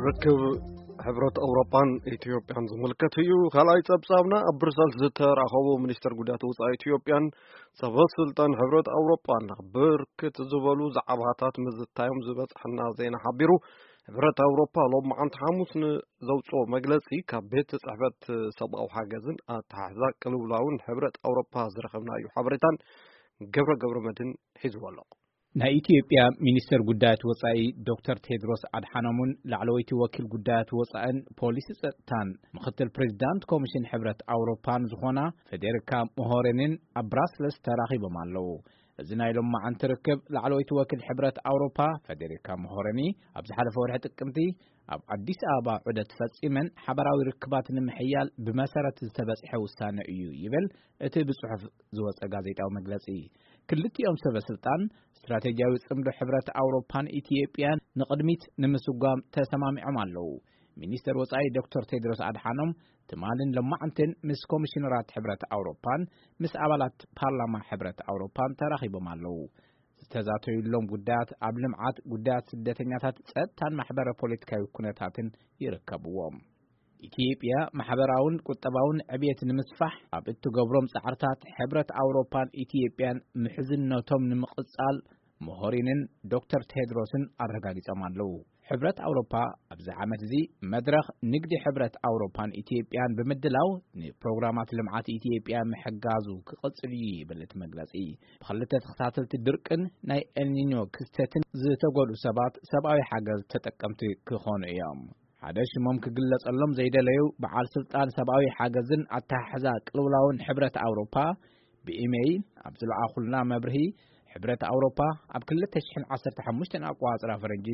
ርክብ ሕብረት ኣውሮጳን ኢትዮጵያን ዝምልከት እዩ። ካልኣይ ጸብጻብና፣ ኣብ ብሩሰልስ ዝተራኸቡ ሚኒስተር ጉዳያት ወጻኢ ኢትዮጵያን ሰበ ስልጣን ሕብረት ኣውሮጳን ብርክት ዝበሉ ዛዕባታት ምዝታዮም ዝበጽሐና ዜና ሓቢሩ። ሕብረት ኣውሮጳ ሎማዓንቲ ሓሙስ ንዘውጽኦ መግለጺ፣ ካብ ቤት ጽሕፈት ሰብኣዊ ሓገዝን ኣተሓሕዛ ቅልውላውን ሕብረት ኣውሮጳ ዝረኸብናዮ ሓበሬታን ገብረ ገብረ መድህን ሒዝዎ ኣሎ። ናይ ኢትዮጵያ ሚኒስተር ጉዳያት ወጻኢ ዶክተር ቴድሮስ ኣድሓኖምን ላዕለወይቲ ወኪል ጉዳያት ወጻእን ፖሊሲ ጸጥታን ምኽትል ፕሬዚዳንት ኮሚሽን ሕብረት ኣውሮፓን ዝኾና ፌዴሪካ ሞሆሬኒን ኣብ ብራስለስ ተራኺቦም ኣለዉ። እዚ ናይ ሎማዓንቲ ርክብ፣ ላዕለወይቲ ወኪል ሕብረት ኣውሮፓ ፌዴሪካ ሞሆሬኒ ኣብ ዝሓለፈ ወርሒ ጥቅምቲ ኣብ ኣዲስ ኣበባ ዑደት ፈጺመን ሓበራዊ ርክባት ንምሕያል ብመሰረት ዝተበጽሐ ውሳነ እዩ ይብል እቲ ብጽሑፍ ዝወጸ ጋዜጣዊ መግለጺ። ክልቲኦም ሰበ ስልጣን ስትራቴጂያዊ ጽምዶ ሕብረት ኣውሮፓን ኢትዮጵያን ንቕድሚት ንምስጓም ተሰማሚዖም ኣለዉ። ሚኒስተር ወጻኢ ዶክተር ቴድሮስ ኣድሓኖም ትማልን ሎማዕንትን ምስ ኮሚሽነራት ሕብረት ኣውሮፓን ምስ ኣባላት ፓርላማ ሕብረት ኣውሮፓን ተራኺቦም ኣለዉ። ዝተዛተዩሎም ጉዳያት ኣብ ልምዓት፣ ጉዳያት ስደተኛታት፣ ጸጥታን ማሕበረ ፖለቲካዊ ኩነታትን ይርከብዎም። ኢትዮጵያ ማሕበራውን ቁጠባውን ዕብየት ንምስፋሕ ኣብ እትገብሮም ጻዕርታት ሕብረት ኣውሮፓን ኢትዮጵያን ምሕዝነቶም ንምቕጻል ሞሆሪንን ዶክተር ቴድሮስን ኣረጋጊጾም ኣለዉ። ሕብረት ኣውሮፓ ኣብዚ ዓመት እዚ መድረኽ ንግዲ ሕብረት ኣውሮፓን ኢትዮጵያን ብምድላው ንፕሮግራማት ልምዓት ኢትዮጵያ ምሕጋዙ ክቕጽል እዩ ይብል እቲ መግለጺ። ብኽልተ ተኸታተልቲ ድርቅን ናይ ኤልኒኞ ክስተትን ዝተጎድኡ ሰባት ሰብኣዊ ሓገዝ ተጠቀምቲ ክኾኑ እዮም። ሓደ ሽሞም ክግለጸሎም ዘይደለዩ በዓል ስልጣን ሰብኣዊ ሓገዝን ኣተሓሕዛ ቅልውላውን ሕብረት ኣውሮፓ ብኢሜይል ኣብ ዝለኣኹልና መብርሂ፣ ሕብረት ኣውሮፓ ኣብ ክልተ ሽሕን ዓሰርተ ሓሙሽተን ኣቆጻጽራ ፈረንጂ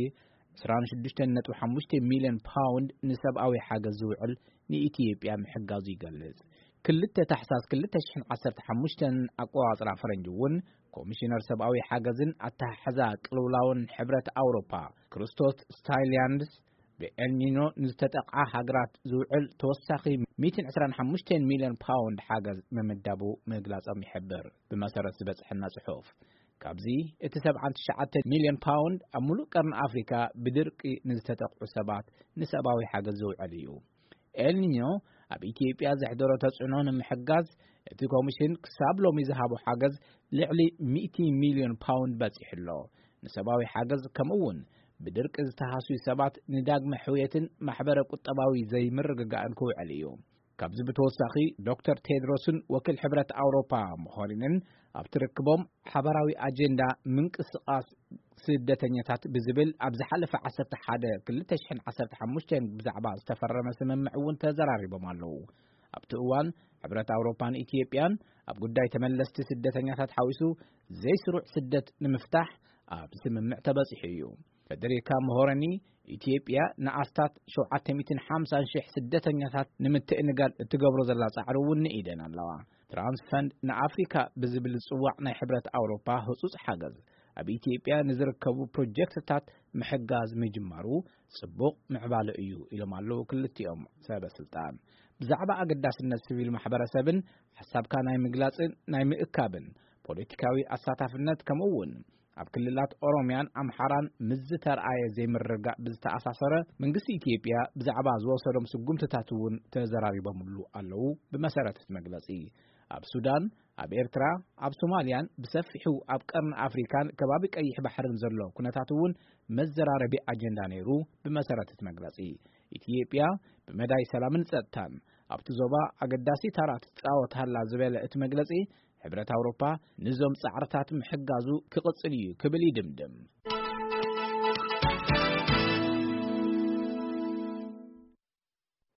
ዕስራን ሽዱሽተን ነጥቢ ሓሙሽተ ሚልዮን ፓውንድ ንሰብኣዊ ሓገዝ ዝውዕል ንኢትዮጵያ ምሕጋዙ ይገልጽ። ክልተ ታሕሳስ ክልተ ሽሕን ዓሰርተ ሓሙሽተን ኣቆጻጽራ ፈረንጂ እውን ኮሚሽነር ሰብኣዊ ሓገዝን ኣተሓሕዛ ቅልውላውን ሕብረት ኣውሮፓ ክርስቶስ ስታይልያንድስ ብኤልኒኖ ንዝተጠቕዓ ሃገራት ዝውዕል ተወሳኺ ሚእትን ዕስራን ሓሙሽተን ሚልዮን ፓውንድ ሓገዝ ምምዳቡ ምግላጾም ይሕብር። ብመሰረት ዝበጽሐና ጽሑፍ፣ ካብዚ እቲ ሰብዓን ትሽዓተን ሚልዮን ፓውንድ ኣብ ሙሉእ ቀርኒ ኣፍሪካ ብድርቂ ንዝተጠቕዑ ሰባት ንሰብኣዊ ሓገዝ ዝውዕል እዩ። ኤልኒኞ ኣብ ኢትዮጵያ ዘሕደሮ ተጽዕኖ ንምሕጋዝ እቲ ኮሚሽን ክሳብ ሎሚ ዝሃቦ ሓገዝ ልዕሊ ሚእቲ ሚልዮን ፓውንድ በጺሑ ኣሎ። ንሰብኣዊ ሓገዝ ከምኡ እውን ብድርቂ ዝተሃስዩ ሰባት ንዳግመ ሕውየትን ማሕበረ ቁጠባዊ ዘይምርግጋእን ክውዕል እዩ። ካብዚ ብተወሳኺ ዶክተር ቴድሮስን ወኪል ሕብረት ኣውሮፓ ሞኸሪንን ኣብቲ ርክቦም ሓበራዊ ኣጀንዳ ምንቅስቓስ ስደተኛታት ብዝብል ኣብ ዝሓለፈ ዓሰርተ ሓደ ክልተ ሽሕን ዓሰርተ ሓሙሽተን ብዛዕባ ዝተፈረመ ስምምዕ እውን ተዘራሪቦም ኣለዉ። ኣብቲ እዋን ሕብረት ኣውሮፓን ኢትዮጵያን ኣብ ጉዳይ ተመለስቲ ስደተኛታት ሓዊሱ ዘይስሩዕ ስደት ንምፍታሕ ኣብ ስምምዕ ተበጺሑ እዩ። ፌደሪካ ሞሆረኒ፣ ኢትዮጵያ ንኣስታት ሸውዓተ ሚእትን ሓምሳን ሽሕ ስደተኛታት ንምትእንጋድ እትገብሮ ዘላ ጻዕሪ እውን ንኢደን ኣለዋ። ትራንስፈንድ ንኣፍሪካ ብዝብል ዝጽዋዕ ናይ ሕብረት ኣውሮፓ ህጹጽ ሓገዝ ኣብ ኢትዮጵያ ንዝርከቡ ፕሮጀክትታት ምሕጋዝ ምጅማሩ ጽቡቕ ምዕባለ እዩ ኢሎም ኣለዉ ክልቲኦም ሰበ ስልጣን። ብዛዕባ ኣገዳስነት ሲቪል ማሕበረሰብን ሓሳብካ ናይ ምግላጽን ናይ ምእካብን ፖለቲካዊ ኣሳታፍነት ከምኡ እውን ኣብ ክልላት ኦሮሚያን ኣምሓራን ምስ ዝተርኣየ ዘይምርግጋእ ብዝተኣሳሰረ መንግስቲ ኢትዮጵያ ብዛዕባ ዝወሰዶም ስጉምትታት እውን ተዘራሪቦምሉ ኣለዉ። ብመሰረት እቲ መግለጺ ኣብ ሱዳን፣ ኣብ ኤርትራ፣ ኣብ ሶማልያን ብሰፊሑ ኣብ ቀርኒ ኣፍሪካን ከባቢ ቀይሕ ባሕርን ዘሎ ኩነታት እውን መዘራረቢ ኣጀንዳ ነይሩ። ብመሰረት እቲ መግለጺ ኢትዮጵያ ብመዳይ ሰላምን ጸጥታን ኣብቲ ዞባ ኣገዳሲ ታራ ትጻወት ሃላ ዝበለ እቲ መግለጺ ሕብረት ኣውሮፓ ንዞም ጻዕርታት ምሕጋዙ ክቕጽል እዩ ክብል ይድምድም።